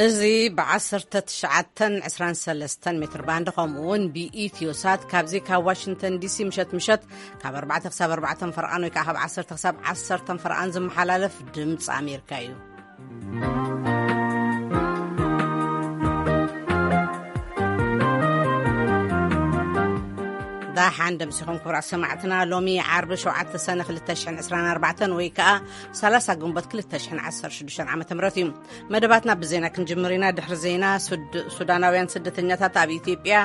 እዚ ብ19 23 ሜትር ባንድ፣ ከምኡ እውን ብኢትዮ ሳት ካብዚ ካብ ዋሽንግተን ዲሲ ምሸት ምሸት ካብ ኣርባዕተ ክሳብ ኣርባዕተ ፈርቓን ወይ ከዓ ካብ ዓሰርተ ክሳብ ዓሰርተ ፈርቓን ዝመሓላለፍ ድምፂ ኣሜሪካ እዩ። ዳሓን ደምሲኹም ክቡራት ሰማዕትና። ሎሚ ዓርቢ ሸውዓተ ሰነ ክልተ ሽሕን ዕስራን ኣርባዕተን ወይ ከዓ ሰላሳ ግንቦት ክልተ ሽሕን ዓሰርተ ሽዱሽተን ዓመተ ምህረት እዩ። መደባትና ብዜና ክንጅምር ኢና። ድሕሪ ዜና፣ ሱድ-፣ ሱዳናውያን ስደተኛታት ኣብ ኢትዮጵያ፣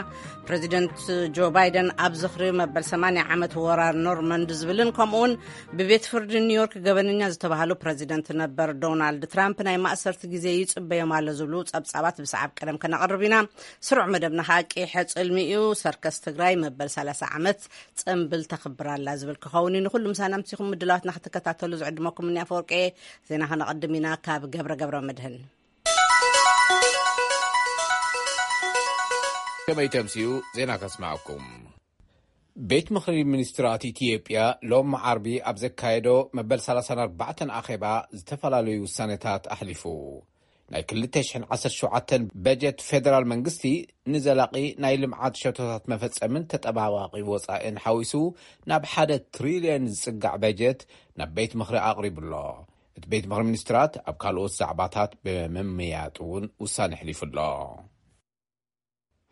ፕሬዚደንት ጆ ባይደን ኣብ ዝኽሪ መበል ሰማንያ ዓመት ወራር ኖርማንድ ዝብልን ከምኡውን ብቤት ፍርዲ ኒውዮርክ ገበነኛ ዝተባህሉ ፕሬዚደንት ነበር ዶናልድ ትራምፕ ናይ ማእሰርቲ ግዜ ይጽበዮም ኣሎ ዝብሉ ጸብጻባት ብሰዓብ ቀደም ከነቕርብ ኢና። ስሩዕ መደብና ኸኣ ቂሐ ጽልሚ እዩ። ሰርከስ ትግራይ መበል ሰላሳ ዓመት ጽምብል ተኽብር ኣላ ዝብል ክኸውን እዩ። ንኹሉ ምሳና ምሲኹም ምድላዋትና ክትከታተሉ ዝዕድመኩም እኒ ኣፈወርቂ። ዜና ከነቐድም ኢና ካብ ገብረ ገብረ መድህን። ከመይ ተምስዩ ዜና ከስማዕኩም። ቤት ምኽሪ ሚኒስትራት ኢትዮጵያ ሎም ዓርቢ ኣብ ዘካየዶ መበል ሰላሳን ኣርባዕተን ኣኼባ ዝተፈላለዩ ውሳኔታት ኣሕሊፉ። ናይ ክልተ ሽሕን ዓሰርተ ሸውዓተን በጀት ፌደራል መንግስቲ ንዘላቒ ናይ ልምዓት ሸቶታት መፈጸምን ተጠባባቒ ወጻኢን ሓዊሱ ናብ ሓደ ትሪልዮን ዝጽጋዕ በጀት ናብ ቤት ምኽሪ ኣቕሪቡ ኣሎ። እቲ ቤት ምኽሪ ሚኒስትራት ኣብ ካልኦት ዛዕባታት ብምምያጥ እውን ውሳኔ ኣሕሊፉ ኣሎ።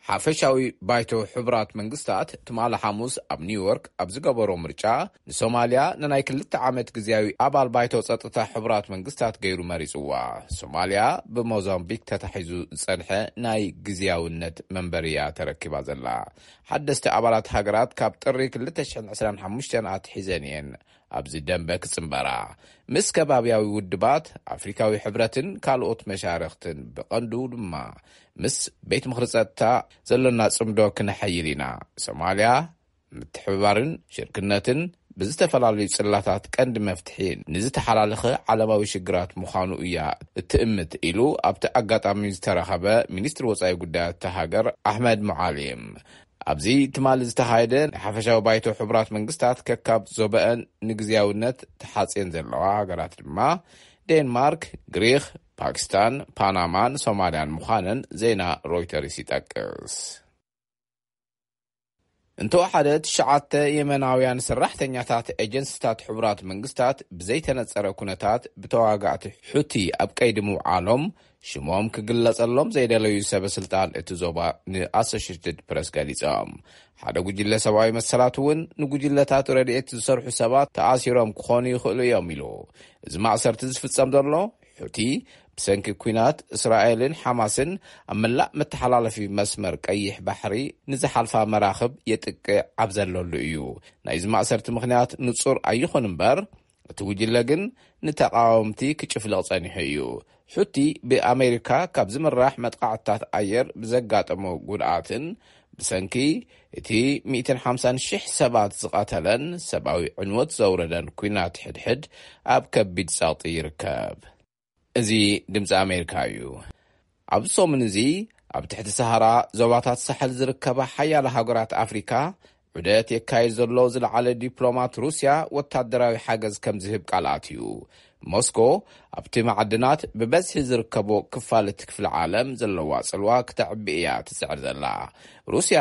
ሓፈሻዊ ባይቶ ሕቡራት መንግስታት ትማሊ ሓሙስ ኣብ ኒውዮርክ ኣብ ዝገበሮ ምርጫ፣ ንሶማልያ ንናይ ክልተ ዓመት ግዜያዊ ኣባል ባይቶ ጸጥታ ሕቡራት መንግስታት ገይሩ መሪጽዋ። ሶማልያ ብሞዛምቢክ ተታሒዙ ዝጸንሐ ናይ ግዜያውነት መንበሪ እያ ተረኪባ ዘላ። ሓደስቲ ኣባላት ሃገራት ካብ ጥሪ ክልተ ሽሕን ዕስራን ሓሙሽተን ኣትሒዘን እየን ኣብዚ ደንበ ክጽንበራ፣ ምስ ከባብያዊ ውድባት፣ ኣፍሪካዊ ሕብረትን ካልኦት መሻርኽትን፣ ብቐንዱ ድማ ምስ ቤት ምኽሪ ጸጥታ ዘሎና ጽምዶ ክነሐይል ኢና። ሶማልያ፣ ምትሕብባርን ሽርክነትን ብዝተፈላለዩ ጽላታት ቀንዲ መፍትሒ ንዝተሓላለኸ ዓለማዊ ሽግራት ምዃኑ እያ እትእምት፣ ኢሉ ኣብቲ ኣጋጣሚ ዝተረኸበ ሚኒስትሪ ወጻኢ ጉዳያት እታ ሃገር ኣሕመድ ሙዓሊም። ኣብዚ ትማሊ ዝተኻየደ ናይ ሓፈሻዊ ባይቶ ሕቡራት መንግስታት፣ ከካብ ዞበአን ንግዝያውነት ተሓጽየን ዘለዋ ሃገራት ድማ ዴንማርክ፣ ግሪኽ፣ ፓኪስታን፣ ፓናማን ሶማልያን ምዃነን ዜና ሮይተርስ ይጠቅስ። እንተወሓደ ትሽዓተ የመናውያን ሰራሕተኛታት ኤጀንሲታት ሕቡራት መንግስታት ብዘይተነጸረ ኩነታት ብተዋጋእቲ ሑቲ ኣብ ቀይዲ ምውዓሎም ሽሞም ክግለጸሎም ዘይደለዩ ሰበ ስልጣን እቲ ዞባ ንኣሶሽትድ ፕረስ ገሊጾም። ሓደ ጉጅለ ሰብኣዊ መሰላት እውን ንጉጅለታት ረድኤት ዝሰርሑ ሰባት ተኣሲሮም ክኾኑ ይኽእሉ እዮም ኢሉ። እዚ ማእሰርቲ ዝፍጸም ዘሎ ሑቲ ብሰንኪ ኲናት እስራኤልን ሓማስን ኣብ መላእ መተሓላለፊ መስመር ቀይሕ ባሕሪ ንዝሓልፋ መራኽብ የጥቅዕ ኣብ ዘለሉ እዩ። ናይዚ ማእሰርቲ ምኽንያት ንጹር ኣይኹን እምበር፣ እቲ ጉጅለ ግን ንተቓወምቲ ክጭፍልቕ ጸኒሑ እዩ። ሑቲ ብኣሜሪካ ካብ ዝምራሕ መጥቃዕትታት ኣየር ብዘጋጠሞ ጉድኣትን ብሰንኪ እቲ ሚእትን ሓምሳን ሽሕ ሰባት ዝቐተለን ሰብኣዊ ዕንወት ዘውረደን ኲናት ሕድሕድ ኣብ ከቢድ ጸቕጢ ይርከብ። እዚ ድምፂ ኣሜሪካ እዩ። ኣብዚ ሰሙን እዚ ኣብ ትሕቲ ሰሃራ ዞባታት ሳሕል ዝርከባ ሓያለ ሃገራት ኣፍሪካ ዑደት የካየድ ዘሎ ዝለዓለ ዲፕሎማት ሩስያ ወታደራዊ ሓገዝ ከም ዝህብ ቃል ኣትዩ። ሞስኮ ኣብቲ ማዕድናት ብበዝሒ ዝርከቦ ክፋል እቲ ክፍለ ዓለም ዘለዋ ጽልዋ ክተዕቢ እያ ትጽዕር ዘላ። ሩስያ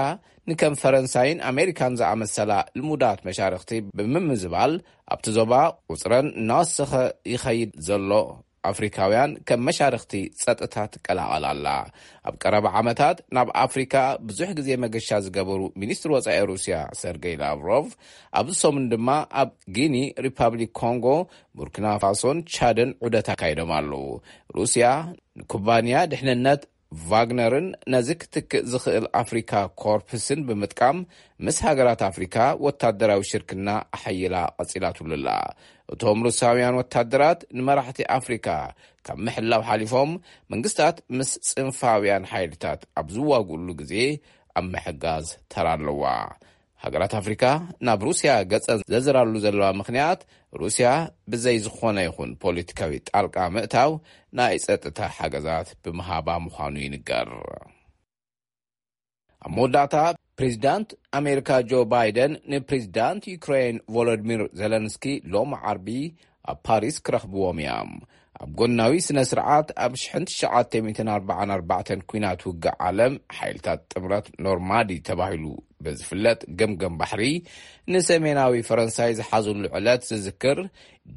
ንከም ፈረንሳይን ኣሜሪካን ዝኣመሰላ ልሙዳት መሻርኽቲ ብምምዝባል ኣብቲ ዞባ ቁጽረን እናወሰኸ ይኸይድ ዘሎ ኣፍሪካውያን ከም መሻርኽቲ ጸጥታ ትቀላቐል ኣላ። ኣብ ቀረባ ዓመታት ናብ ኣፍሪካ ብዙሕ ግዜ መገሻ ዝገበሩ ሚኒስትሪ ወጻኢ ሩስያ ሰርጌይ ላቭሮቭ ኣብዚ ሰሙን ድማ ኣብ ጊኒ፣ ሪፓብሊክ ኮንጎ፣ ቡርኪና ፋሶን ቻድን ዑደት ኣካይዶም ኣለዉ። ሩስያ ንኩባንያ ድሕንነት ቫግነርን ነዚ ክትክእ ዝኽእል ኣፍሪካ ኮርፕስን ብምጥቃም ምስ ሃገራት ኣፍሪካ ወታደራዊ ሽርክና ኣሐይላ ቀጺላትሉ ኣላ። እቶም ሩሳውያን ወታደራት ንመራሕቲ ኣፍሪካ ካብ ምሕላው ሓሊፎም መንግስታት ምስ ጽንፋውያን ሓይልታት ኣብ ዝዋግኡሉ ግዜ ኣብ ምሕጋዝ ተራ ኣለዋ። ሃገራት ኣፍሪካ ናብ ሩስያ ገጸን ዘዝራሉ ዘለዋ ምኽንያት ሩስያ ብዘይ ዝኾነ ይኹን ፖለቲካዊ ጣልቃ ምእታው ናይ ጸጥታ ሓገዛት ብምሃባ ምዃኑ ይንገር። ኣብ መወዳእታ ፕሬዚዳንት ኣሜሪካ ጆ ባይደን ንፕሬዚዳንት ዩክሬን ቮሎዲሚር ዜለንስኪ ሎም ዓርቢ ኣብ ፓሪስ ክረኽብዎም እዮም። ኣብ ጎናዊ ስነ ስርዓት ኣብ ሽሕን ትሽዓተ ሚእትን ኣርባዓን ኣርባዕተን ኲናት ውግእ ዓለም ሓይልታት ጥምረት ኖርማዲ ተባሂሉ ብዝፍለጥ ገምገም ባሕሪ ንሰሜናዊ ፈረንሳይ ዝሓዙሉ ዕለት ዝዝክር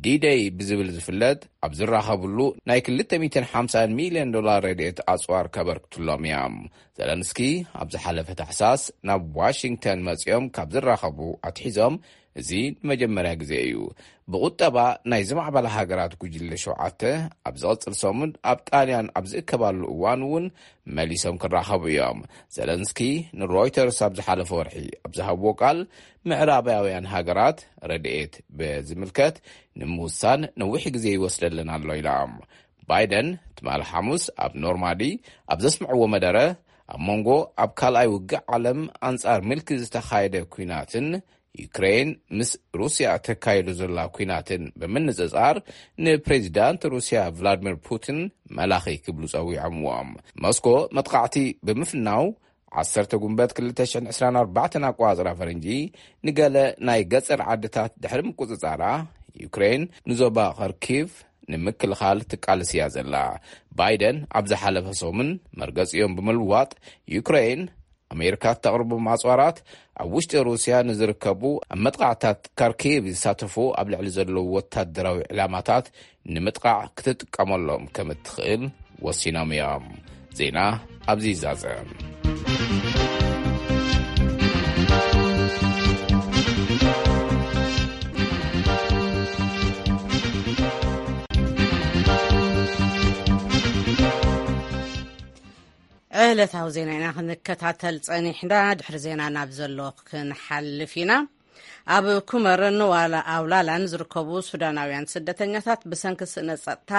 ዲደይ ብዝብል ዝፍለጥ ኣብ ዝራኸብሉ ናይ ክልተ ሚእትን ሓምሳን ሚልዮን ዶላር ረድኤት ኣጽዋር ከበርክትሎም እዮም። ዘለንስኪ ኣብ ዝሓለፈ ታሕሳስ ናብ ዋሽንግተን መጺኦም ካብ ዝራኸቡ ኣትሒዞም እዚ ንመጀመርያ ግዜ እዩ። ብቁጠባ ናይ ዝማዕበላ ሃገራት ጉጅለ ሸውዓተ ኣብ ዝቕጽል ሰሙን ኣብ ጣልያን ኣብ ዝእከባሉ እዋን እውን መሊሶም ክራኸቡ እዮም። ዘለንስኪ ንሮይተርስ ኣብ ዝሓለፈ ወርሒ ኣብ ዝሃብዎ ቃል ምዕራባውያን ሃገራት ረድኤት ብዝምልከት ንምውሳን ነዊሕ ግዜ ይወስደለን ኣሎ ኢሎም። ባይደን ትማሊ ሓሙስ ኣብ ኖርማዲ ኣብ ዘስምዕዎ መደረ ኣብ መንጎ ኣብ ካልኣይ ውግእ ዓለም ኣንጻር ምልኪ ዝተኻየደ ኲናትን ዩክሬን ምስ ሩስያ ተካይዶ ዘላ ኲናትን ብምንጽጻር ንፕሬዚዳንት ሩስያ ቭላድሚር ፑቲን መላኺ ክብሉ ጸዊዖምዎም። ሞስኮ መጥቃዕቲ ብምፍናው ዓሰርተ ጉንበት ክልተ ሽሕን ዕስራን ኣርባዕተን ኣቋጽራ ፈረንጂ ንገለ ናይ ገጸር ዓድታት ድሕሪ ምቁጽጻራ ዩክሬን ንዞባ ኸርኪቭ ንምክልኻል ትቃልስ እያ ዘላ። ባይደን ኣብ ዝሓለፈ ሰሙን መርገጺኦም ብምልዋጥ ዩክሬን ኣሜሪካ እተቕርቦም ኣጽዋራት ኣብ ውሽጢ ሩስያ ንዝርከቡ ኣብ መጥቃዕታት ካርኪቭ ዝሳተፉ ኣብ ልዕሊ ዘለዉ ወታደራዊ ዕላማታት ንምጥቃዕ ክትጥቀመሎም ከም እትኽእል ወሲኖም እዮም። ዜና ኣብዚ ይዛዘም። ዕለታዊ ዜና ኢና ክንከታተል ጸኒሕና። ድሕሪ ዜና ናብ ዘሎ ክንሓልፍ ኢና። ኣብ ኩመርን ዋላ ኣውላላን ዝርከቡ ሱዳናውያን ስደተኛታት ብሰንኪ ስእነት ጸጥታ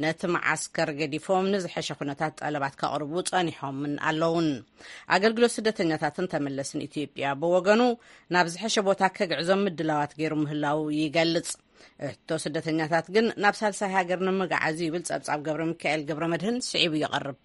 ነቲ መዓስከር ገዲፎም ንዝሐሸ ኩነታት ጠለባት ከቕርቡ ጸኒሖምን ኣለውን። ኣገልግሎት ስደተኛታትን ተመለስን ኢትዮጵያ ብወገኑ ናብ ዝሐሸ ቦታ ከግዕዞም ምድላዋት ገይሩ ምህላው ይገልጽ። እቶ ስደተኛታት ግን ናብ ሳልሳይ ሃገር ንምግዓዝ ይብል ጸብጻብ ገብረ ሚካኤል ገብረ መድህን ስዒቡ ይቐርብ።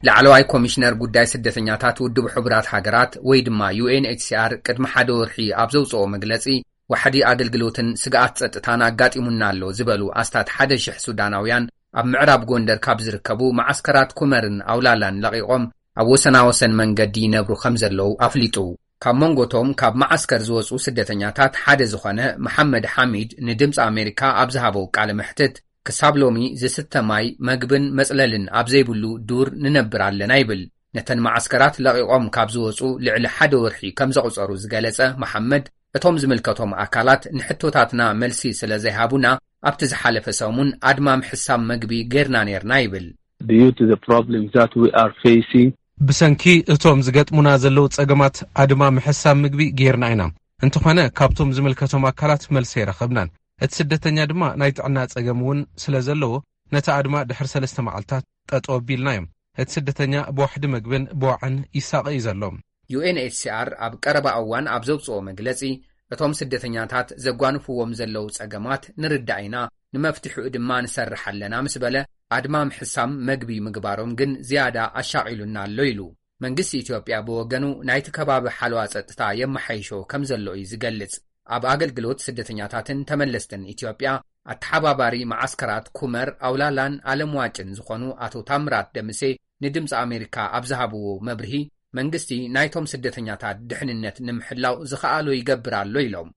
ላዕለዋይ ኮሚሽነር ጉዳይ ስደተኛታት ውድብ ሕቡራት ሃገራት ወይ ድማ ዩ ኤን ኤች ሲ ኣር ቅድሚ ሓደ ወርሒ ኣብ ዘውፅኦ መግለፂ፣ ዋሕዲ ኣገልግሎትን ስግኣት ፀጥታን ኣጋጢሙና ኣሎ ዝበሉ ኣስታት ሓደ ሽሕ ሱዳናውያን ኣብ ምዕራብ ጎንደር ካብ ዝርከቡ መዓስከራት ኩመርን ኣውላላን ለቒቖም ኣብ ወሰናወሰን መንገዲ ይነብሩ ከም ዘለዉ ኣፍሊጡ። ካብ መንጎቶም ካብ መዓስከር ዝወፁ ስደተኛታት ሓደ ዝኾነ መሓመድ ሓሚድ ንድምፂ ኣሜሪካ ኣብ ዝሃበው ቃለ መሕትት፣ ክሳብ ሎሚ ዝስተ ማይ፣ መግብን መጽለልን ኣብ ዘይብሉ ዱር ንነብር ኣለና ይብል። ነተን መዓስከራት ለቒቖም ካብ ዝወፁ ልዕሊ ሓደ ወርሒ ከም ዘቑጸሩ ዝገለጸ መሓመድ፣ እቶም ዝምልከቶም ኣካላት ንሕቶታትና መልሲ ስለ ዘይሃቡና ኣብቲ ዝሓለፈ ሰሙን ኣድማ ምሕሳም መግቢ ጌርና ኔርና ይብል። Due to the problems that we are facing, ብሰንኪ እቶም ዝገጥሙና ዘለዉ ጸገማት ኣድማ ምሕሳም ምግቢ ጌርና ኢና። እንተኾነ ካብቶም ዝምልከቶም ኣካላት መልሲ ኣይረኸብናን። እቲ ስደተኛ ድማ ናይ ጥዕና ጸገም እውን ስለ ዘለዎ ነቲ ኣድማ ድሕሪ ሰለስተ መዓልታት ጠጠው ኣቢልናዮ። እቲ ስደተኛ ብዋሕዲ መግብን ብዋዕን ይሳቐ እዩ ዘሎ። ዩ ኤን ኤች ሲ ኣር ኣብ ቀረባ እዋን ኣብ ዘውጽኦ መግለጺ፣ እቶም ስደተኛታት ዘጓንፍዎም ዘለዉ ጸገማት ንርዳእ ኢና፣ ንመፍትሒኡ ድማ ንሰርሕ ኣለና ምስ በለ፣ ኣድማ ምሕሳም መግቢ ምግባሮም ግን ዝያዳ ኣሻቒሉና ኣሎ ኢሉ። መንግስቲ ኢትዮጵያ ብወገኑ ናይቲ ከባቢ ሓለዋ ጸጥታ የመሓይሾ ከም ዘሎ እዩ ዝገልጽ። ኣብ ኣገልግሎት ስደተኛታትን ተመለስትን ኢትዮጵያ ኣተሓባባሪ መዓስከራት ኩመር፣ ኣውላላን ኣለምዋጭን ዝኾኑ ኣቶ ታምራት ደምሴ ንድምፂ ኣሜሪካ ኣብ ዝሃብዎ መብርሂ፣ መንግስቲ ናይቶም ስደተኛታት ድሕንነት ንምሕላው ዝኸኣሎ ይገብር ኣሎ ኢሎም።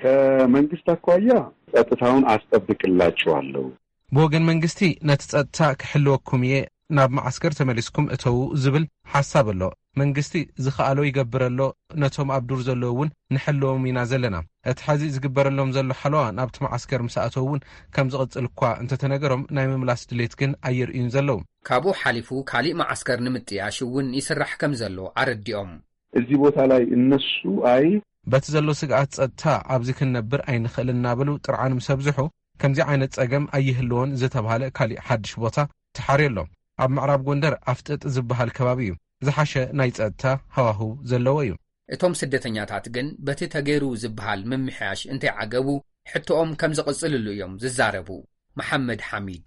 ከመንግስት አኳያ ጸጥታውን አስጠብቅላቸዋለሁ። ብወገን መንግስቲ ነቲ ጸጥታ ክሕልወኩም እየ፣ ናብ መዓስከር ተመሊስኩም እተዉ ዝብል ሓሳብ ኣሎ። መንግስቲ ዝኸኣሎ ይገብር ኣሎ፣ ነቶም ኣብ ዱር ዘለዉ እውን ንሕልዎም ኢና ዘለና። እቲ ሐዚ ዝግበረሎም ዘሎ ሓለዋ ናብቲ መዓስከር ምስ ኣተዉ እውን ከም ዝቕጽል እኳ እንተተነገሮም ናይ ምምላስ ድሌት ግን ኣየርእዩን ዘለዉ። ካብኡ ሓሊፉ ካሊእ መዓስከር ንምጥያሽ እውን ይስራሕ ከም ዘሎ ኣረዲኦም። እዚህ ቦታ ላይ እነሱ አይ በቲ ዘሎ ስግኣት ጸጥታ ኣብዚ ክንነብር ኣይንኽእልን እናበሉ ጥርዓን ምስ ኣብዝሑ፣ ከምዚ ዓይነት ጸገም ኣይህልዎን ዝተባህለ ካሊእ ሓድሽ ቦታ ተሓርዩ ኣሎ። ኣብ ምዕራብ ጎንደር ኣፍጥጥ ዝበሃል ከባቢ እዩ። ዝሓሸ ናይ ጸጥታ ሃዋህው ዘለዎ እዩ። እቶም ስደተኛታት ግን በቲ ተገይሩ ዝበሃል ምምሕያሽ እንተይዓገቡ ሕቶኦም ከም ዝቕጽልሉ እዮም ዝዛረቡ። መሓመድ ሓሚድ።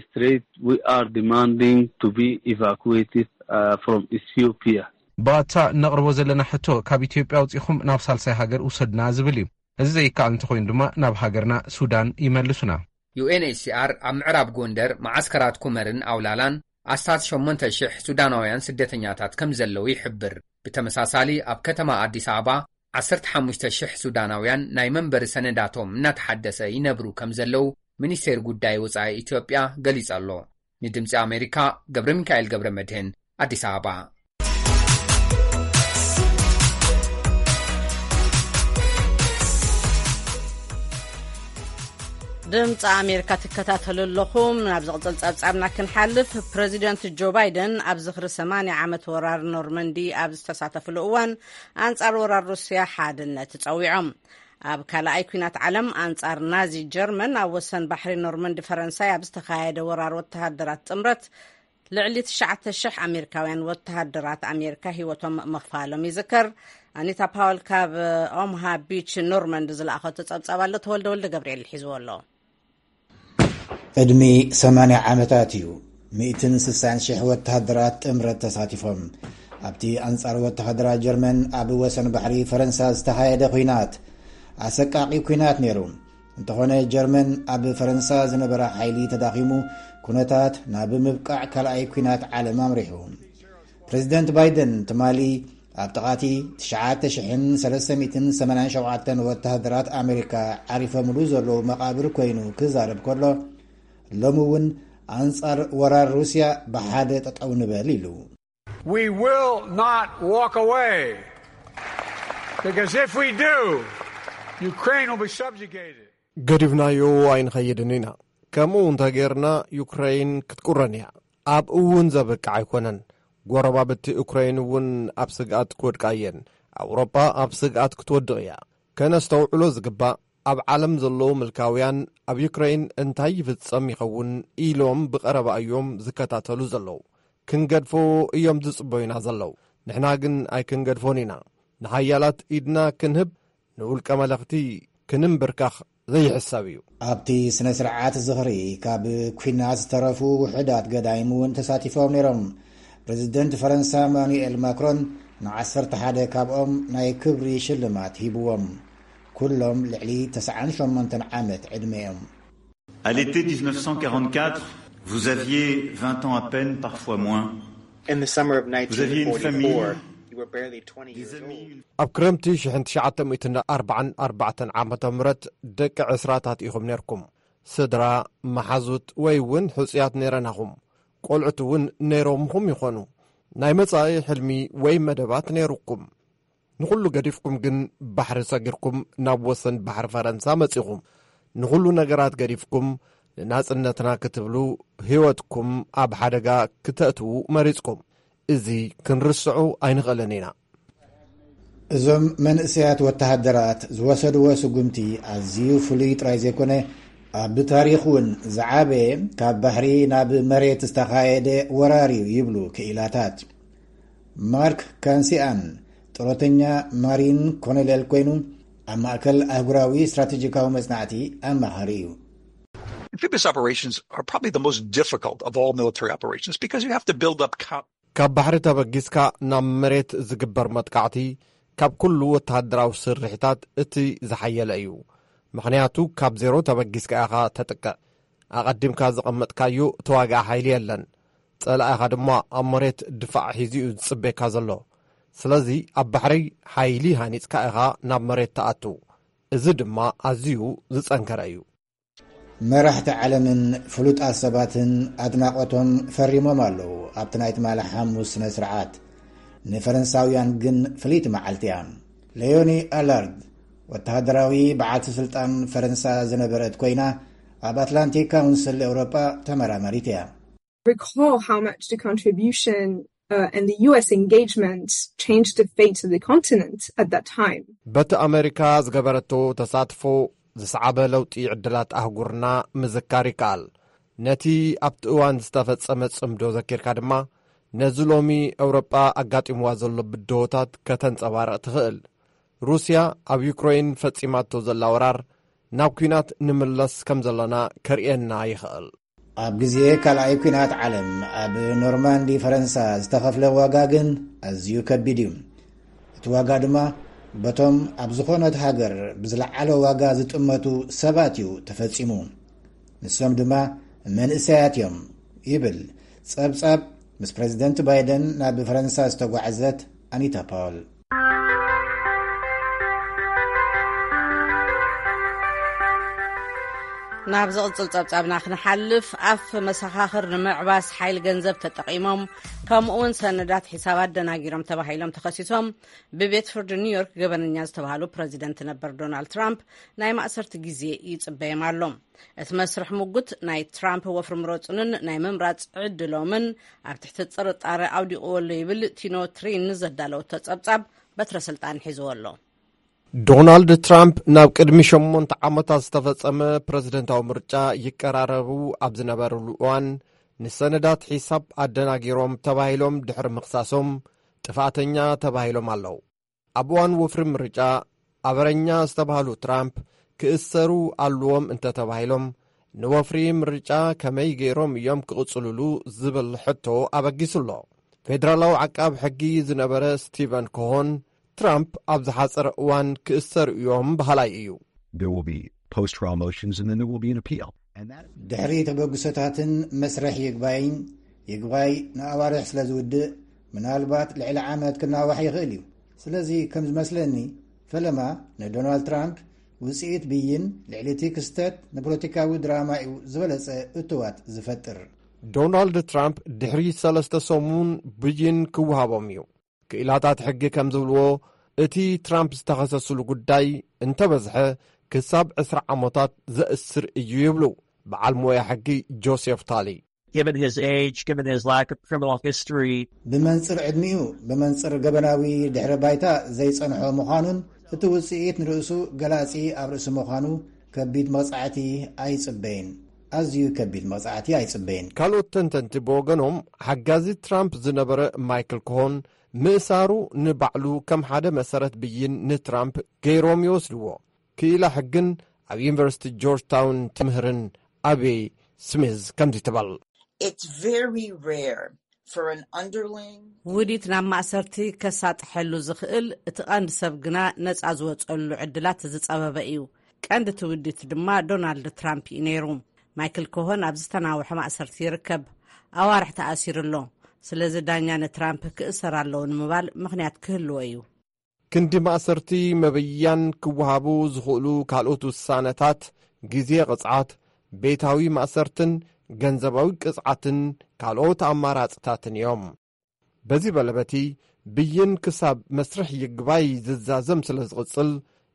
Straight, we are demanding to be evacuated, uh, from Ethiopia. ብኣታ እነቕርቦ ዘለና ሕቶ ካብ ኢትዮጵያ ኣውጺኹም ናብ ሳልሳይ ሃገር ውሰዱና ዝብል እዩ። እዚ ዘይከኣል እንተኾይኑ ድማ ናብ ሃገርና ሱዳን ይመልሱና። ዩ ኤን ኤች ሲ ኣር ኣብ ምዕራብ ጎንደር፣ መዓስከራት ኩመርን ኣውላላን ኣስታት ሸሞንተ ሽሕ ሱዳናውያን ስደተኛታት ከም ዘለዉ ይሕብር። ብተመሳሳሊ፣ ኣብ ከተማ ኣዲስ ኣበባ ዓሰርተ ሓሙሽተ ሽሕ ሱዳናውያን ናይ መንበሪ ሰነዳቶም እናተሓደሰ ይነብሩ ከም ዘለዉ ሚኒስቴር ጉዳይ ወጻኢ ኢትዮጵያ ገሊጹ ኣሎ። ንድምጺ ኣሜሪካ፣ ገብረ ሚካኤል ገብረ መድህን፣ ኣዲስ ኣበባ። ድምፂ ኣሜሪካ ትከታተሉ ኣለኹም። ናብ ዝቕፅል ፀብፃብና ክንሓልፍ፣ ፕረዚደንት ጆ ባይደን ኣብ ዝኽሪ ሰማንያ ዓመት ወራር ኖርመንዲ ኣብ ዝተሳተፍሉ እዋን፣ ኣንፃር ወራር ሩስያ ሓድነት ፀዊዖም። ኣብ ካልኣይ ኲናት ዓለም፣ ኣንፃር ናዚ ጀርመን፣ ኣብ ወሰን ባሕሪ ኖርመንዲ ፈረንሳይ ኣብ ዝተኻየደ ወራር፣ ወተሃደራት ጥምረት ልዕሊ ትሽዓተ ሽሕ ኣሜሪካውያን ወተሃደራት ኣሜሪካ ህይወቶም ምኽፋሎም ይዝከር። ኣኒታ ፓወል ካብ ኦምሃ ቢች ኖርመንድ ዝለኣኸቶ ጸብጻብ ኣሎ፣ ተወልደ ወልደ ገብርኤል ሒዝዎ ኣሎ። ዕድሚ ሰማንያ ዓመታት እዩ። ሚእትን ስሳን ሽሕ ወተሃደራት ጥምረት ተሳቲፎም ኣብቲ ኣንጻር ወተሃደራት ጀርመን ኣብ ወሰን ባሕሪ ፈረንሳ ዝተኻየደ ኲናት። ኣሰቃቂ ኲናት ነይሩ። እንተኾነ፣ ጀርመን ኣብ ፈረንሳ ዝነበራ ሓይሊ ተዳኺሙ፣ ኩነታት ናብ ምብቃዕ ካልኣይ ኲናት ዓለም ኣምሪሑ። ፕረዚደንት ባይደን ትማሊ ኣብ ጥቓቲ ትሽዓተ ሽሕን ሰለስተ ሚእትን ሰማንያን ሸውዓተን ወተሃደራት ኣሜሪካ ዓሪፈምሉ ዘለዉ መቓብር ኮይኑ ክዛረብ ከሎ፣ ሎሚ እውን ኣንጻር ወራር ሩስያ ብሓደ ጠጠው ንበል ኢሉ። We will not walk away, because if we do, Ukraine will be subjugated. ገዲፍናዮ ኣይንኸይድን ኢና። ከምኡ እንተጌርና፣ ዩክረይን ክትቁረን እያ። ኣብኡ እውን ዘብቅዕ ኣይኮነን። ጎረባብቲ ዩክረይን እውን ኣብ ስግኣት ክወድቃ እየን። ኣውሮጳ ኣብ ስግኣት ክትወድቕ እያ። ከነስተውዕሎ ዝግባእ፣ ኣብ ዓለም ዘለዉ ምልካውያን ኣብ ዩክረይን እንታይ ይፍጸም ይኸውን ኢሎም ብቐረባ እዮም ዝከታተሉ ዘለዉ። ክንገድፎ እዮም ዝጽበዩና ዘለዉ። ንሕና ግን ኣይክንገድፎን ኢና። ንሓያላት ኢድና ክንህብ፣ ንውልቀ መለኽቲ ክንምብርካኽ ዘይሕሰብ እዩ። ኣብቲ ስነ ስርዓት ዝኽሪ፣ ካብ ኲናት ዝተረፉ ውሑዳት ገዳይም እውን ተሳቲፎም ነይሮም። ፕረዚደንት ፈረንሳ ማኑኤል ማክሮን ንዓሰርተ ሓደ ካብኦም ናይ ክብሪ ሽልማት ሂብዎም። ኩሎም ልዕሊ ተስዓን ሸሞንተን ዓመት ዕድመ እዮም። À l'été dix-neuf cent quarante-quatre, vous aviez vingt ans à peine, parfois moins. In the summer of Vous aviez une famille, nineteen forty-four, you were barely twenty des years amis, old. Une ኣብ ክረምቲ ሽሕን ትሽዓተ ሚእትን ኣርባዓን ኣርባዕተን ዓመተ ምህረት ደቂ ዕስራታት ኢኹም ነርኩም። ስድራ፣ መሓዙት ወይ እውን ሕጹያት ነይረናኹም። ቆልዑት እውን ነይሮምኹም ይኾኑ። ናይ መጻኢ ሕልሚ ወይ መደባት ነይሩኩም። ንኹሉ ገዲፍኩም ግን ባሕሪ ሰጊርኩም ናብ ወሰን ባሕሪ ፈረንሳ መጺኹም። ንኹሉ ነገራት ገዲፍኩም ንናጽነትና ክትብሉ ህይወትኩም ኣብ ሓደጋ ክተእትዉ መሪጽኩም። እዚ ክንርስዑ ኣይንኽእልን ኢና። እዞም መንእሰያት ወተሃደራት ዝወሰድዎ ስጉምቲ ኣዝዩ ፍሉይ ጥራይ ዘይኮነ፣ ኣብ ታሪኽ እውን ዝዓበየ፣ ካብ ባሕሪ ናብ መሬት ዝተኻየደ ወራር እዩ ይብሉ ክኢላታት። ማርክ ካንሲኣን ጥሮተኛ ማሪን ኮሎኔል ኮይኑ፣ ኣብ ማእከል ኣህጉራዊ ስትራቴጂካዊ መጽናዕቲ ኣማኻሪ እዩ። Amphibious operations are probably the most difficult of all military operations because you have to build up co- ካብ ባሕሪ ተበጊስካ ናብ መሬት ዝግበር መጥቃዕቲ ካብ ኩሉ ወተሃደራዊ ስርሒታት እቲ ዝሓየለ እዩ። ምኽንያቱ ካብ ዜሮ ተበጊስካ ኢኻ ተጥቅዕ። ኣቐዲምካ ዘቐመጥካዮ ተዋጋኢ ሓይሊ የለን። ጸላኢኻ ድማ ኣብ መሬት ድፋዕ ሒዙ እዩ ዝጽበየካ ዘሎ። ስለዚ ኣብ ባሕሪ ሓይሊ ሃኒጽካ ኢኻ ናብ መሬት ትኣቱ። እዚ ድማ ኣዝዩ ዝጸንከረ እዩ። መራሕቲ ዓለምን ፍሉጣት ሰባትን ኣድናቖቶም ፈሪሞም ኣለዉ ኣብቲ ናይ ትማሊ ሓሙስ ስነ ስርዓት። ንፈረንሳውያን ግን ፍልይቲ መዓልቲ እያ። ሌዮኒ ኣላርድ ወተሃደራዊ በዓልቲ ስልጣን ፈረንሳ ዝነበረት ኮይና፣ ኣብ ኣትላንቲክ ካውንስል ኤውሮጳ ተመራማሪት እያ። Recall how much the contribution, uh, and the U S engagement changed the fate of the continent at that time. በቲ ኣመሪካ ዝገበረቶ ተሳትፎ ዝሰዓበ ለውጢ ዕድላት ኣህጉርና ምዝካር ይከኣል። ነቲ ኣብቲ እዋን ዝተፈጸመ ጽምዶ ዘኪርካ ድማ፣ ነዚ ሎሚ ኤውሮጳ ኣጋጢምዋ ዘሎ ብድሆታት ከተንጸባርቕ ትኽእል። ሩስያ ኣብ ዩክረይን ፈጺማቶ ዘላ ወራር ናብ ኲናት ንምለስ ከም ዘለና ከርእየና ይኽእል። ኣብ ግዜ ካልኣይ ኲናት ዓለም ኣብ ኖርማንዲ ፈረንሳ ዝተኸፍለ ዋጋ ግን ኣዝዩ ከቢድ እዩ። እቲ ዋጋ ድማ በቶም ኣብ ዝኾነት ሃገር ብዝለዓለ ዋጋ ዝጥመቱ ሰባት እዩ ተፈጺሙ። ንሶም ድማ መንእሰያት እዮም ይብል ጸብጻብ ምስ ፕረዚደንት ባይደን ናብ ፈረንሳ ዝተጓዕዘት ኣኒታ ፓውል። ናብ ዝቕጽል ጸብጻብና ክንሓልፍ፣ ኣፍ መሰኻኽር ንምዕባስ ሓይል ገንዘብ ተጠቒሞም፣ ከምኡውን ሰነዳት ሒሳብ ኣደናጊሮም ተባሂሎም ተኸሲሶም ብቤት ፍርዲ ኒውዮርክ ገበነኛ ዝተባሃሉ ፕረዚደንት ነበር ዶናልድ ትራምፕ ናይ ማእሰርቲ ግዜ ይጽበዮም ኣሎ። እቲ መስርሕ ምጉት ናይ ትራምፕ ወፍሪ ምረጹንን ናይ ምምራጽ ዕድሎምን ኣብ ትሕቲ ጥርጣረ ኣውዲቕዎ ኣሎ ይብል ቲኖ ትሪን ዘዳለወቶ ጸብጻብ በትረ ስልጣን ሒዝዎ ኣሎ። ዶናልድ ትራምፕ ናብ ቅድሚ ሸሞንተ ዓመታት ዝተፈጸመ ፕረዚደንታዊ ምርጫ ይቀራረቡ ኣብ ዝነበርሉ እዋን፣ ንሰነዳት ሒሳብ ኣደናጊሮም ተባሂሎም ድሕሪ ምኽሳሶም ጥፋተኛ ተባሂሎም ኣለዉ። ኣብ እዋን ወፍሪ ምርጫ ኣበረኛ ዝተባህሉ ትራምፕ ክእሰሩ ኣለዎም እንተተባሂሎም፣ ንወፍሪ ምርጫ ከመይ ገይሮም እዮም ክቕጽልሉ ዝብል ሕቶ ኣበጊሱ ኣሎ። ፌደራላዊ ዓቃብ ሕጊ ዝነበረ ስቲቨን ኮሆን፣ ትራምፕ ኣብ ዝሓጸረ እዋን ክእሰሩ እዮም በሃላይ እዩ። There will be post trial motions and then there will be an appeal. And that ድሕሪ ተበግሶታትን መስርሕ ይግባይን፣ ይግባይ ንኣዋርሕ ስለ ዝውድእ፣ ምናልባት ልዕሊ ዓመት ክናዋሕ ይኽእል እዩ። ስለዚ ከም ዝመስለኒ፣ ፈለማ ንዶናልድ ትራምፕ ውጽኢት ብይን ልዕሊ እቲ ክስተት ንፖለቲካዊ ድራማ እዩ ዝበለጸ እትዋት ዝፈጥር። ዶናልድ ትራምፕ ድሕሪ ሰለስተ ሰሙን ብይን ክወሃቦም እዩ። ክኢላታት ሕጊ ከም ዝብልዎ፣ እቲ ትራምፕ ዝተኸሰስሉ ጉዳይ እንተበዝሐ ክሳብ ዕስራ ዓመታት ዘእስር እዩ ይብሉ በዓል ሞያ ሕጊ ጆሴፍ ታሊ። Given his age, given his lack of criminal history, ብመንጽር ዕድሚኡ፣ ብመንጽር ገበናዊ ድሕረ ባይታ ዘይጸንሖ ምዃኑን እቲ ውጽኢት ንርእሱ ገላጺ ኣብ ርእሲ ምዃኑ ከቢድ መቕጻዕቲ ኣይጽበይን። ኣዝዩ ከቢድ መቕጻዕቲ ኣይጽበይን። ካልኦት ተንተንቲ ብወገኖም፣ ሓጋዚ ትራምፕ ዝነበረ ማይክል ኮሆን ምእሳሩ ንባዕሉ ከም ሓደ መሰረት ብይን ንትራምፕ ገይሮም ይወስድዎ። ክኢላ ሕግን ኣብ ዩኒቨርሲቲ ጆርጅ ታውን ትምህርን ኣቤ ስሚዝ ከምዚ ትበል። It's very rare for an underling ውዲት ናብ ማእሰርቲ ከሳጥሐሉ ዝኽእል እቲ ቀንዲ ሰብ ግና ነጻ ዝወጸሉ ዕድላት ዝጸበበ እዩ። ቀንዲ እቲ ውዲት ድማ ዶናልድ ትራምፕ እዩ ነይሩ። ማይክል ኮሆን ኣብ ዝተናውሐ ማእሰርቲ ይርከብ። ኣዋርሕ ተኣሲሩ ኣሎ። ስለዚ ዳኛ ንትራምፕ ክእሰር ኣለዎ ንምባል ምኽንያት ክህልዎ እዩ። ክንዲ ማእሰርቲ መበያን ክወሃቡ ዝኽእሉ ካልኦት ውሳነታት፣ ግዜ ቅጽዓት፣ ቤታዊ ማእሰርትን ገንዘባዊ ቅጽዓትን ካልኦት ኣማራጽታትን እዮም። በዚ በለበቲ ብይን ክሳብ መስርሕ ይግባይ ዝዛዘም ስለ ዝቕጽል፣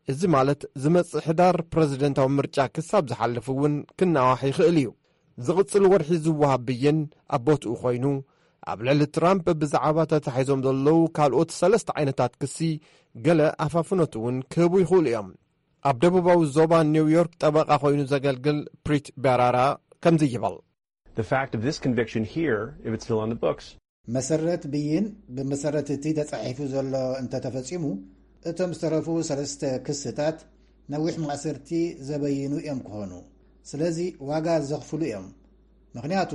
እዚ ማለት ዝመጽእ ሕዳር ፕረዚደንታዊ ምርጫ ክሳብ ዝሓልፍ እውን ክናዋሕ ይኽእል እዩ። ዝቕጽል ወርሒ ዝወሃብ ብይን ኣብ ቦትኡ ኮይኑ፣ ኣብ ልዕሊ ትራምፕ ብዛዕባ ተታሒዞም ዘለዉ ካልኦት ሰለስተ ዓይነታት ክሲ ገለ ኣፋፍኖት እውን ክህቡ ይኽእሉ እዮም። ኣብ ደቡባዊ ዞባ ኒውዮርክ ጠበቓ ኮይኑ ዘገልግል ፕሪት በራራ ከምዚ ይበል። The fact of this conviction here, if it's still on the books, መሰረት ብይን ብመሰረት እቲ ተጻሒፉ ዘሎ እንተተፈጺሙ፣ እቶም ዝተረፉ ሰለስተ ክስታት ነዊሕ ማእሰርቲ ዘበይኑ እዮም ክኾኑ። ስለዚ ዋጋ ዘኽፍሉ እዮም። ምኽንያቱ፣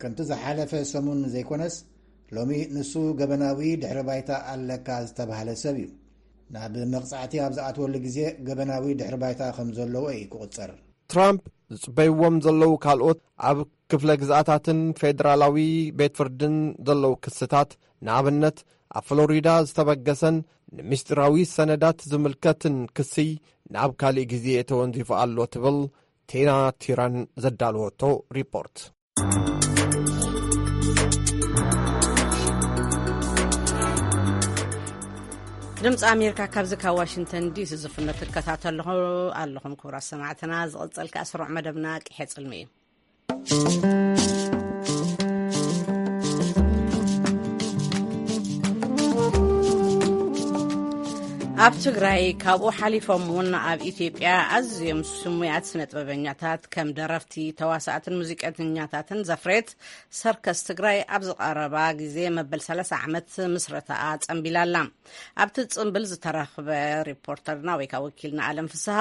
ከምቲ ዝሓለፈ ሰሙን ዘይኮነስ፣ ሎሚ ንሱ ገበናዊ ድሕረ ባይታ ኣለካ ዝተባህለ ሰብ እዩ። ናብ መቕጻዕቲ ኣብ ዝኣትወሉ ግዜ ገበናዊ ድሕረ ባይታ ከም ዘለዎ እዩ ክቑጸር። ትራምፕ ዝጽበይዎም ዘለዉ ካልኦት ኣብ ክፍለ ግዝኣታትን ፌደራላዊ ቤት ፍርድን ዘለዉ ክስታት፣ ንኣብነት ኣብ ፍሎሪዳ ዝተበገሰን ንምስጢራዊ ሰነዳት ዝምልከትን ክሲ ናብ ካልእ ግዜ ተወንዚፉ ኣሎ ትብል ቴና ቲራን ዘዳለወቶ ሪፖርት። ድምፂ ኣሜሪካ ካብዚ ካብ ዋሽንግተን ዲሲ ዝፍኖ ትከታተልኹ ኣለኹም ክቡራት ሰማዕትና። ዝቕፅል ከዓ ስሩዕ መደብና ቅሐ ፅልሚ እዩ። ኣብ ትግራይ ካብኡ ሓሊፎም እውን ኣብ ኢትዮጵያ ኣዝዮም ስሙያት ስነ ጥበበኛታት ከም ደረፍቲ፣ ተዋሳእትን ሙዚቀኛታትን ዘፍሬት ሰርከስ ትግራይ ኣብዚ ቀረባ ግዜ መበል ሰላሳ ዓመት ምስረታኣ ጸንቢላላ። ኣብቲ ጽንብል ዝተረኽበ ሪፖርተርና ወይ ከዓ ወኪልና ኣለም ፍስሃ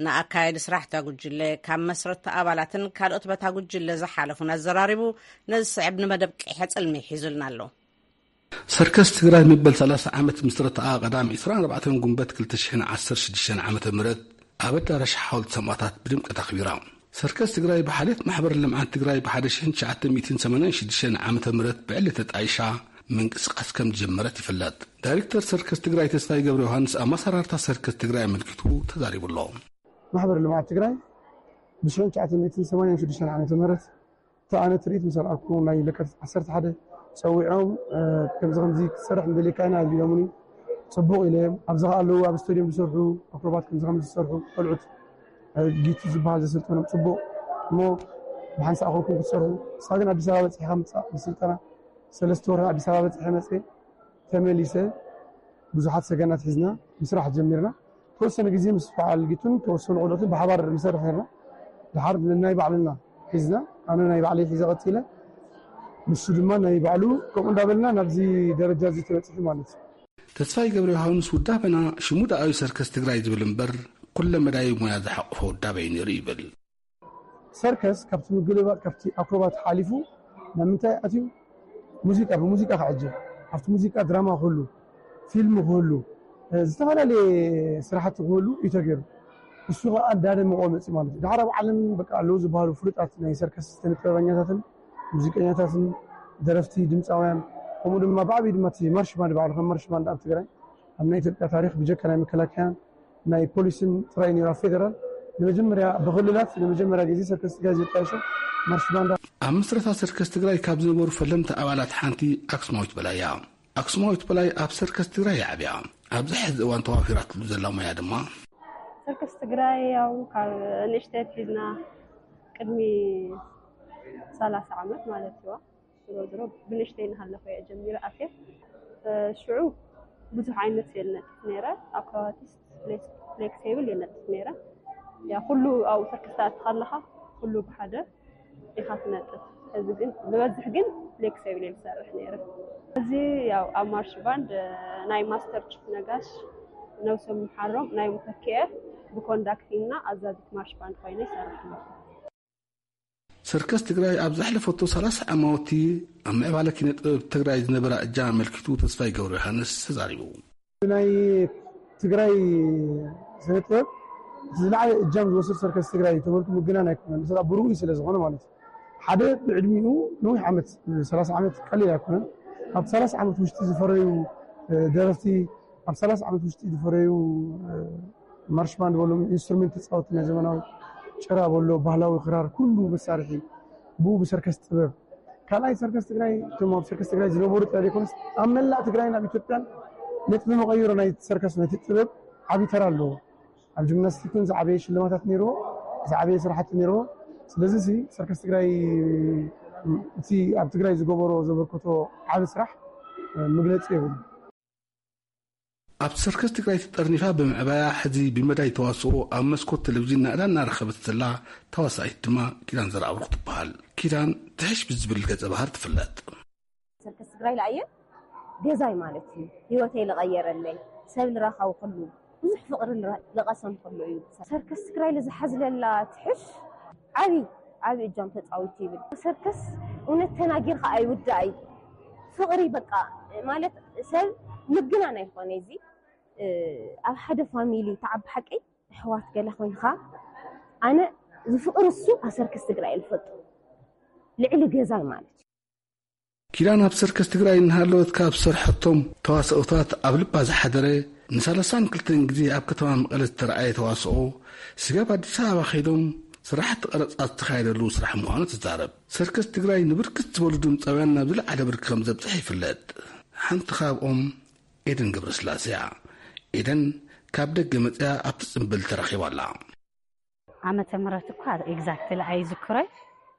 ንኣካየዲ ስራሕ እታ ጉጅለ ካብ መስረቲ ኣባላትን ካልኦት በታ ጉጅለ ዝሓለፉን ኣዘራሪቡ ነዚ ስዕብ ንመደብ ቅሐ ጽልሚ ሒዙልና ኣሎ። ሰርከስ ትግራይ መበል ሰላሳ ዓመት ምስረታኣ ቀዳም ዕስራን ኣርባዕተን ጉንበት ክልተ ሽሕን ዓሰርተ ሽዱሽተን ዓመተ ምህረት ኣብ ኣዳራሽ ሓወልቲ ሰማእታት ብድምቀት ኣኽቢራ። ሰርከስ ትግራይ ብሓልዮት ማሕበር ልምዓት ትግራይ ብ1986 ዓመተ ምህረት ብዕሊ ተጣይሻ ምንቅስቃስ ከም ዝጀመረት ይፍለጥ። ዳይሬክተር ሰርከስ ትግራይ ተስፋይ ገብረ ዮሃንስ ኣመሰራርታ ሰርከስ ትግራይ ኣመልኪቱ ተዛሪቡ ኣሎ። ማሕበር ልምዓት ትግራይ ብ1986 ዓመተ ምህረት እቲ ኣነ ትርኢት ምስ ኣርኣኩ ናይ ለካቲት 11 ጸዊዖም ከምዚ ከምዚ ክትሰርሕ እንደልየካ ኢና ኢሎምኒ። ጽቡቕ ኢለ እዮም። ኣብዚ ከኣ ኣለዉ ኣብ ስቴድዮም ዝሰርሑ ኣክሮባት ከምዚ ከምዚ ዝሰርሑ ቆልዑት ጊቱ ዝበሃል ዘሰልጠኖም ጽቡቕ እሞ ብሓንሳእ ኮንኩም ክትሰርሑ። ንሳ ግን ኣዲስ ኣበባ በጺሕካ ምጻእ ብስልጠና ሰለስተ ወርሒ ኣዲስ ኣበባ በጺሐ መጽእ ተመሊሰ ብዙሓት ሰገናት ሒዝና ምስራሕ ጀሚርና። ተወሰነ ግዜ ምስ በዓል ጊቱን ተወሰኑ ቆልዑትን ብሓባር ንሰርሕ ነርና። ድሓር ናይ ባዕልና ሒዝና ኣነ ናይ ባዕለይ ሒዘ ቀጺለ ንሱ ድማ ናይ ባዕሉ ከምኡ እንዳበልና ናብዚ ደረጃ እዚ ተበጺሑ ማለት እዩ። ተስፋይ ገብረ ዮሃንስ ውዳበና ሽሙ ደኣዊ ሰርከስ ትግራይ ዝብል እምበር ኩለ መዳይ ሙያ ዝሓቆፈ ውዳበ እዩ ነይሩ ይብል። ሰርከስ ካብቲ ምግልባጥ ካብቲ ኣክሮባት ሓሊፉ ናብ ምንታይ ኣትዩ? ሙዚቃ ብሙዚቃ ክዕጀብ ኣብቲ ሙዚቃ ድራማ ክህሉ ፊልም ክህሉ ዝተፈላለየ ስራሕቲ ክህሉ እዩ ተገይሩ። እሱ ከዓ እንዳደመቆ መፅእ ማለት እዩ። ዳሕር ኣብ ዓለም በቃ ኣለዉ ዝበሃሉ ፍሉጣት ናይ ሰርከስ ስነ ጥበበኛታትን ሙዚቀኛታትን ደረፍቲ ድምፃውያን ከምኡ ድማ ብዓብዩ ድማ እቲ ማርሽ ባንድ ባዕሉ ከም ማርሽ ባንድ ኣብ ትግራይ ኣብ ናይ ኢትዮጵያ ታሪክ ብጀካ ናይ መከላከያን ናይ ፖሊስን ጥራይ ነይሩ ኣብ ፌደራል ንመጀመርያ ብክልላት ንመጀመርያ ግዜ ሰርከስ ትግራይ ዘጣየሸ ማርሽ ባንድ። ኣብ ምስረታ ሰርከስ ትግራይ ካብ ዝነበሩ ፈለምቲ ኣባላት ሓንቲ ኣክስማዊት በላይ እያ። ኣክስማዊት በላይ ኣብ ሰርከስ ትግራይ እያ ዓብያ። ኣብዚ ሕዚ እዋን ተዋፊራትሉ ዘላ ሞያ ድማ ሰርከስ ትግራይ ያው ካብ ንእሽተይ ኣትሒዝና ቅድሚ 30 ዓመት ማለት እዩ። ዝሮ ዝሮ ብንእሽተይ እናሃለኹ እየ ጀሚረ ኣትየ። ሽዑ ብዙሕ ዓይነት እየ ዝነጥፍ ነይረ። ኣክሮባቲስት፣ ፍሌክስ ቴብል እየ ዝነጥፍ ነይረ። ያ ኩሉ ኣብኡ ሰርከስ ትኣቲ ከለኻ ኩሉ ብሓደ ኢኻ ትነጥፍ። እዚ ግን ዝበዝሕ ግን ፍሌክስ ቴብል እየ ዝሰርሕ ነይረ። እዚ ያው ኣብ ማርሽ ባንድ ናይ ማስተር ቺፍ ነጋሽ ነብሶም ይምሓሮም ናይ ሙተኪኤ ብኮንዳክቲንና ኣዛዚት ማርሽ ባንድ ኮይነ ይሰርሕ ኣለኹ። ሰርከስ ትግራይ ኣብ ዘሕለፈቶ 30 ዓማውቲ ኣብ ምዕባለ ኪነ ጥበብ ትግራይ ዝነበራ እጃም ኣመልኪቱ ተስፋይ ገብረ ዮሃንስ ተዛሪቡ። ናይ ትግራይ ስነ ጥበብ ዝለዓለ እጃም ዝወስድ ሰርከስ ትግራይ ተበልኩ ምግናን ኣይኮነን። ብሩኡ ስለ ዝኾነ ማለት እዩ። ሓደ ብዕድሚኡ ነዊሕ ዓመት 30 ዓመት ቀሊል ኣይኮነን። ኣብ 30 ዓመት ውሽጢ ዝፈረዩ ደረፍቲ ኣብ 30 ዓመት ውሽጢ ዝፈረዩ ማርሽ ባንድ በሎም ኢንስትሩሜንት ተፃወቲ ናይ ዘመናዊ ጭራ በሎ ባህላዊ ክራር ኩሉ መሳርሒ ብኡ ብሰርከስ ጥበብ ካልኣይ ሰርከስ ትግራይ እቶም ኣብ ሰርከስ ትግራይ ዝነበሩ ጥራይ ዘይኮነስ ኣብ መላእ ትግራይን ኣብ ኢትዮጵያን ነጥቢ መቐይሮ ናይ ሰርከስ ነቲ ጥበብ ዓብዪ ተራ ኣለዎ። ኣብ ጂምናስቲክን ዝዓበየ ሽልማታት ነይርዎ፣ ዝዓበየ ስራሕቲ ነይርዎ። ስለዚ ሲ ሰርከስ ትግራይ እቲ ኣብ ትግራይ ዝገበሮ ዘበርከቶ ዓቢ ስራሕ መግለፂ የብሉ። ኣብ ሰርከስ ትግራይ ተጠርኒፋ ብምዕባያ ሕዚ ብመዳይ ተዋስኦ ኣብ መስኮት ቴሌቪዥን ናእዳ እናረኸበት ዘላ ተዋሳኢት ድማ ኪዳን ዘርኣብሩኽ ትበሃል። ኪዳን ትሕሽ ብዝብል ገጸ ባህር ትፍለጥ። ሰርከስ ትግራይ ለኣየ ገዛይ ማለት እዩ። ህይወተይ ለቐየረለይ ሰብ ልራኸብኩሉ ብዙሕ ፍቕሪ ልቐሰምኩሉ እዩ። ሰርከስ ትግራይ ልዝሓዝለላ ትሕሽ ዓብይ ዓብይ እጃም ተፃዊቱ ይብል። ሰርከስ እውነት ተናጊርካ ኣይውዳእ እዩ። ፍቕሪ በቃ ማለት ሰብ ምግናን ኣይኾነ እዚ ኣብ ሓደ ፋሚሊ ተዓቢ ሓቀይ ኣሕዋት ገለ ኮይንካ ኣነ ዝፍቅር እሱ ኣሰርከስ ትግራይ ልፈጡ ልዕሊ ገዛይ ማለት እዩ። ኪዳን ኣብ ሰርከስ ትግራይ እናሃለወት ካብ ዝሰርሐቶም ተዋስኦታት ኣብ ልባ ዝሓደረ ንሳልሳን ክልተን ግዜ ኣብ ከተማ መቐለ ዝተረኣየ ተዋስኦ ስጋብ ኣዲስ ኣበባ ከይዶም ስራሕቲ ቀረፃ ዝተኻየደሉ ስራሕ ምዃኑ ትዛረብ። ሰርከስ ትግራይ ንብርክት ዝበሉ ድምፃውያን ናብ ዝለዓለ ብርኪ ከም ዘብፅሕ ይፍለጥ። ሓንቲ ካብኦም ኤደን ገብረስላሴ እያ። ኤደን ካብ ደገ መፅያ ኣብቲ ፅምብል ተረኺባ ኣላ። ዓመተ ምህረት እኳ ኤግዛክትሊ ኣይዝክሮይ፣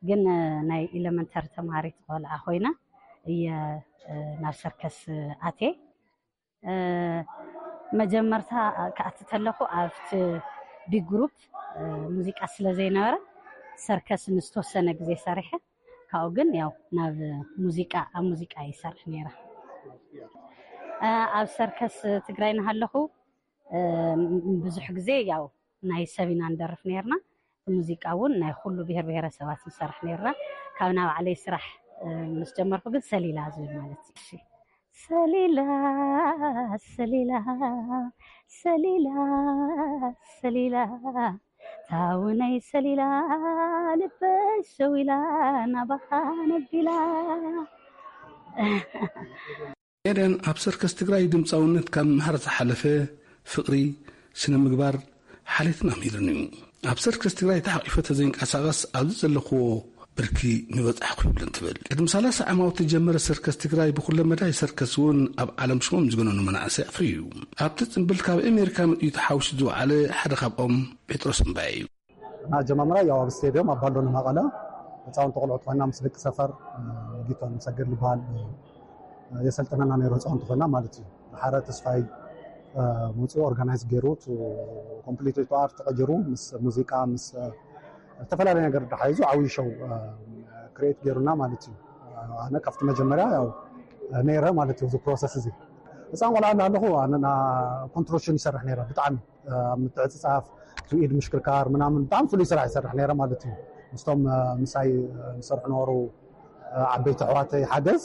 ግን ናይ ኢለመንተሪ ተማሃሪት ቆልዓ ኮይነ እየ ናብ ሰርከስ ኣትየ። መጀመርታ ክኣቲ ተለኹ ኣብቲ ቢግ ግሩፕ ሙዚቃ ስለ ዘይነበረ ሰርከስ ንዝተወሰነ ግዜ ሰሪሐ፣ ካብኡ ግን ያው ናብ ሙዚቃ ኣብ ሙዚቃ ይሰርሕ ነይረ። ኣብ ሰርከስ ትግራይ እናሃለኹ ብዙሕ ግዜ ያው ናይ ሰብ ኢና ንደርፍ ነይርና። ሙዚቃ እውን ናይ ኩሉ ብሄር ብሄረሰባት ንሰርሕ ነይርና። ካብ ናብ ባዕለይ ስራሕ ምስ ጀመርኩ ግን ሰሊላ ዝብል ማለት እዩ። ሰሊላ ሰሊላ ሰሊላ ሰሊላ ታውነይ ሰሊላ ልበይ ሸዊላ ናባኻ ነቢላ። ኤደን ኣብ ሰርከስ ትግራይ ድምፃውነት ካብ ምምሃር ዝሓለፈ ፍቕሪ፣ ስነ ምግባር ሓልየትን ኣምሂርኒ እዩ። ኣብ ሰርከስ ትግራይ ተሓቂፈ ተዘይንቀሳቐስ ኣብዚ ዘለኽዎ ብርኪ ምበጻሕኩ ይብልን ትብል። ቅድሚ ሰላሳ ዓማውቲ ዝጀመረ ሰርከስ ትግራይ ብኩለ መዳይ ሰርከስ እውን ኣብ ዓለም ሽሞም ዝገነኑ መናእሰይ ኣፍርዩ እዩ። ኣብቲ ጽምብል ካብ ኣሜሪካ መጺኡ ተሓዊሱ ዝወዓለ ሓደ ካብኦም ጴጥሮስ እምባየ እዩ። ኣጀማምራ ያው ኣብ ስቴድዮም ኣብ ባንዶኒ መቐለ ህፃውንቲ ቆልዑት ኮይና ምስ ደቂ ሰፈር ጊቶን ሰገድ ዝበሃል የሰልጥነና ነይሩ ህፃውንቲ ኮይና ማለት እዩ። ሓረ ተስፋይ መፅኡ ኦርጋናይዝ ገይሩ ኮምፕሊት ቱ ኣርት ተቀይሩ ምስ ሙዚቃ ምስ ዝተፈላለዩ ነገር ተሓይዙ ዓብዪ ሾው ክሬት ገይሩና ማለት እዩ። ኣነ ካብቲ መጀመርያ ያው ነይረ ማለት እዩ። እዚ ፕሮሰስ እዚ ህፃን ቆልዓ እንዳለኹ ኣነ ኮንትሮሽን ይሰርሕ ነይረ ብጣዕሚ ኣብ ምትዕፅፃፍ ኢድ ምሽክርካር ምናምን ብጣዕሚ ፍሉይ ስራሕ ይሰርሕ ነይረ ማለት እዩ። ምስቶም ምሳይ ዝሰርሑ ነበሩ ዓበይቲ ኣሕዋተይ ሓገዝ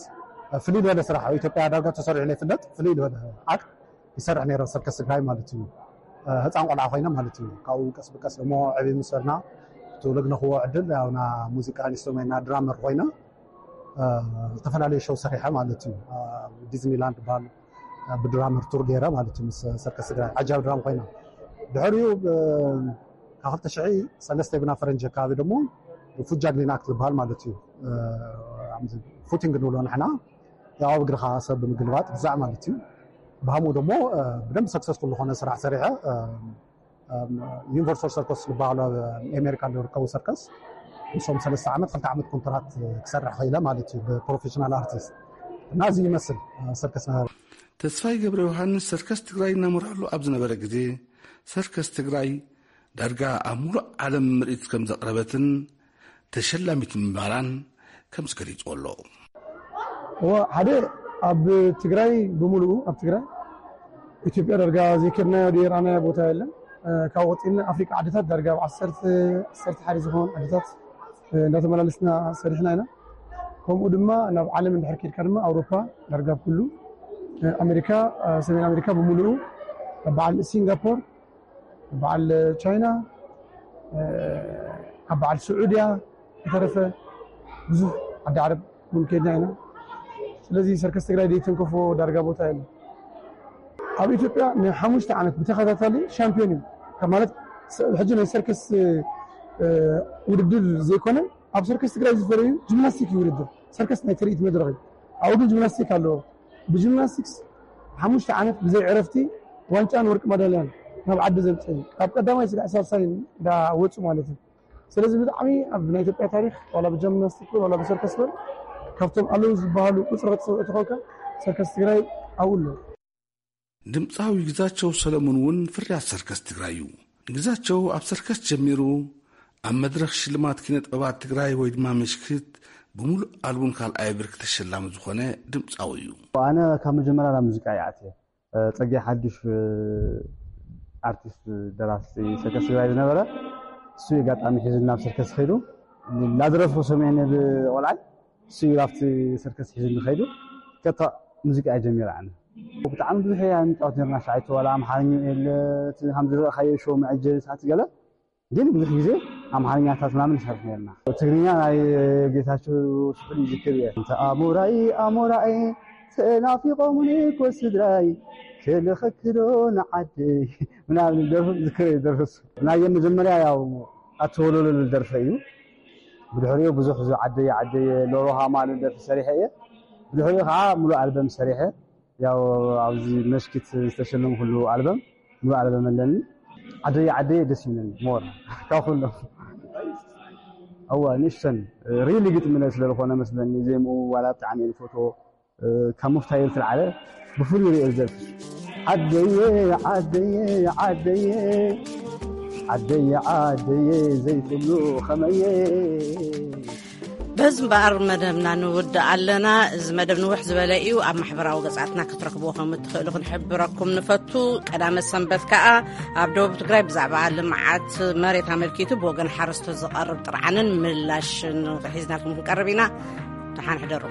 ፍልይ ዝበለ ስራሕ ኣብ ኢትዮጵያ ዳርጋ ተሰሪሑ ዘይፍለጥ ፍልይ ዝበለ ኣክት ይሰርሕ ነይረ ሰርከስ ትግራይ ማለት እዩ። ህፃን ቆልዓ ኮይነ ማለት እዩ። ካብኡ ቀስ ብቀስ ደሞ ዕብይ ምስ በልና ትውልድ ነኽዎ ዕድል ያው ና ሙዚቃ ኢንስትሩሜንት ና ድራመር ኮይነ ዝተፈላለዩ ሾው ሰሪሐ ማለት እዩ። ዲዝኒላንድ ባል ብድራመር ቱር ገይረ ማለት እዩ ምስ ሰርከስ ትግራይ ዓጃብ ድራም ኮይና ድሕሪኡ ካብ ክልተ ሽሕ ሰለስተ ብና ፈረንጂ ኣካባቢ ደሞ ፉጃግሊን ኣክት ዝበሃል ማለት እዩ። ፉቲንግ ንብሎ ንሕና ያው ኣብ እግርኻ ሰብ ብምግልባጥ ግዛዕ ማለት እዩ። ብሃምኡ ደሞ ብደንብ ሰክሰስፉል ዝኾነ ስራሕ ሰሪሐ ዩኒቨርሳል ሰርከስ ዝበሃሉ ኣብ ኣሜሪካ ዝርከቡ ሰርከስ ንሶም ሰለስተ ዓመት ክልተ ዓመት ኮንትራት ክሰርሕ ኸኢለ ማለት እዩ ብፕሮፌሽናል ኣርቲስት እና እዚ ይመስል ሰርከስ ነበረ። ተስፋይ ገብረ ዮሃንስ ሰርከስ ትግራይ እናመርሐሉ ኣብ ዝነበረ ግዜ ሰርከስ ትግራይ ዳርጋ ኣብ ሙሉእ ዓለም ምርኢት ከም ዘቕረበትን ተሸላሚት ምንባራን ከም ዝገሊፅዎ ኣሎ። እዎ ሓደ ኣብ ትግራይ ብምሉኡ ኣብ ትግራይ ኢትዮጵያ ዳርጋ ዘይከድናዮ ዘይረኣናዮ ቦታ የለን። ካብ ወፂና ኣፍሪቃ ዓድታት ዳርጋ ኣብ ዓሰርተ ዓሰርተ ሓደ ዝኾኑ ዓድታት እንዳተመላለስና ሰሪሕና ኢና። ከምኡ ድማ ናብ ዓለም እንድሕር ኬድካ ድማ ኣውሮፓ ዳርጋ ኩሉ ኣሜሪካ ሰሜን ኣሜሪካ ብምሉኡ በዓል ሲንጋፖር በዓል ቻይና ኣብ በዓል ስዑድያ ዝተረፈ ብዙሕ ዓዲ ዓረብ እውን ከድና ኢና። ስለዚ ሰርከስ ትግራይ ዘይተንከፎ ዳርጋ ቦታ የለ። ኣብ ኢትዮጵያ ንሓሙሽተ ዓመት ብተኸታታሊ ሻምፒዮን እዩ። ካብ ማለት ሕጂ ናይ ሰርከስ ውድድር ዘይኮነ ኣብ ሰርከስ ትግራይ ዝፈረዩ ጂምናስቲክ እዩ ውድድር ሰርከስ ናይ ትርኢት መድረኽ እዩ። ኣብኡ ግን ጂምናስቲክ ኣለዎ። ብጂምናስቲክስ ሓሙሽተ ዓመት ብዘይ ዕረፍቲ ዋንጫን ወርቂ ማዳልያን ናብ ዓዲ ዘምፅእ ካብ ቀዳማይ ስጋዕ ሳልሳይ እንዳወፁ ማለት እዩ። ስለዚ ብጣዕሚ ኣብ ናይ ኢትዮጵያ ታሪክ ዋላ ብጂምናስቲክ ዋላ ብሰርከስ በል ካብቶም ኣለዉ ዝበሃሉ ቁፅሪ ክትፅውዕ ተኾንካ ሰርከስ ትግራይ ኣብኡ ኣሎ። ድምፃዊ ግዛቸው ሰለሙን እውን ፍርያት ሰርከስ ትግራይ እዩ። ግዛቸው ኣብ ሰርከስ ጀሚሩ ኣብ መድረኽ ሽልማት ኪነ ጥበባት ትግራይ ወይ ድማ ምሽክት ብምሉእ ኣልቡም ካልኣይ ብርኪ ተሸላሚ ዝኾነ ድምፃዊ እዩ። ኣነ ካብ መጀመርያ ናብ ሙዚቃ ይኣትየ ጸጌ ሓዱሽ ኣርቲስት ደራሲ ሰርከስ ትግራይ ዝነበረ እሱ ኣጋጣሚ ሒዙ ናብ ሰርከስ ኸይዱ ላዝረፍ ሰሜን ብቆልዓይ እሱ እዩ ኣብቲ ሰርከስ ሒዙ ኸይዱ ከታ ሙዚቃ ጀሚረ ኣነ ብጣዕሚ ብዙሕ እያ ንጫወት ነርና ሻይቶ ዋላ ኣምሓርኛ የለ እቲ ከም ዝረእኻዮ ሾው መዐጀቢ ሰዓት ገለ ግን ብዙሕ ግዜ ኣምሓርኛታት ምናምን ንሰርሕ ነርና ትግርኛ ናይ ጌታቸው ስሑል ይዝክር እየ እንተ ኣሞራይ ኣሞራይ ተናፊቆሙኒ እኮ ስድራይ ክልኸክዶ ንዓደይ ምናምን ደርፉ ዝክር እየ ደርፍሱ ናይ መጀመርያ ያው ኣተወለለሉ ደርፈ እዩ ብድሕሪኡ ብዙሕ ዓደየ ዓደየ ሎሮሃማ ደርፊ ሰሪሐ እየ ብድሕሪኡ ከዓ ሙሉእ ኣልበም ሰሪሐ ያው ኣብዚ መሽኪት ዝተሸለምኩሉ ኣልበም ሙሉእ ኣልበም ኣለኒ ዓደየ ዓደየ ደስ ይብለኒ more ካብ ኩሎም እዋ ንእሽተን ሪሊ ግጥሚ ስለ ዝኾነ መስለኒ ዜምኡ ዋላ ብጣዕሚ እየ ዝፈትዎ ካብ ምፍታዩ ዝለዓለ ብፍሉይ ሪኦ ዝደርፊ ዓደየ ዓደየ ዓደየ ዓደየ ዓደየ ዘይብሉ ከመየ በዚ እምበኣር መደብና ንውድእ ኣለና። እዚ መደብ ንውሕ ዝበለ እዩ። ኣብ ማሕበራዊ ገጻትና ክትረኽብዎ ከም እትኽእሉ ክንሕብረኩም ንፈቱ። ቀዳመ ሰንበት ከኣ ኣብ ደቡብ ትግራይ ብዛዕባ ልምዓት መሬት ኣመልኪቱ ብወገን ሓረስቶት ዝቐርብ ጥርዓንን ምላሽን ሒዝናልኩም ክንቀርብ ኢና። ደሓን ሕደሩ።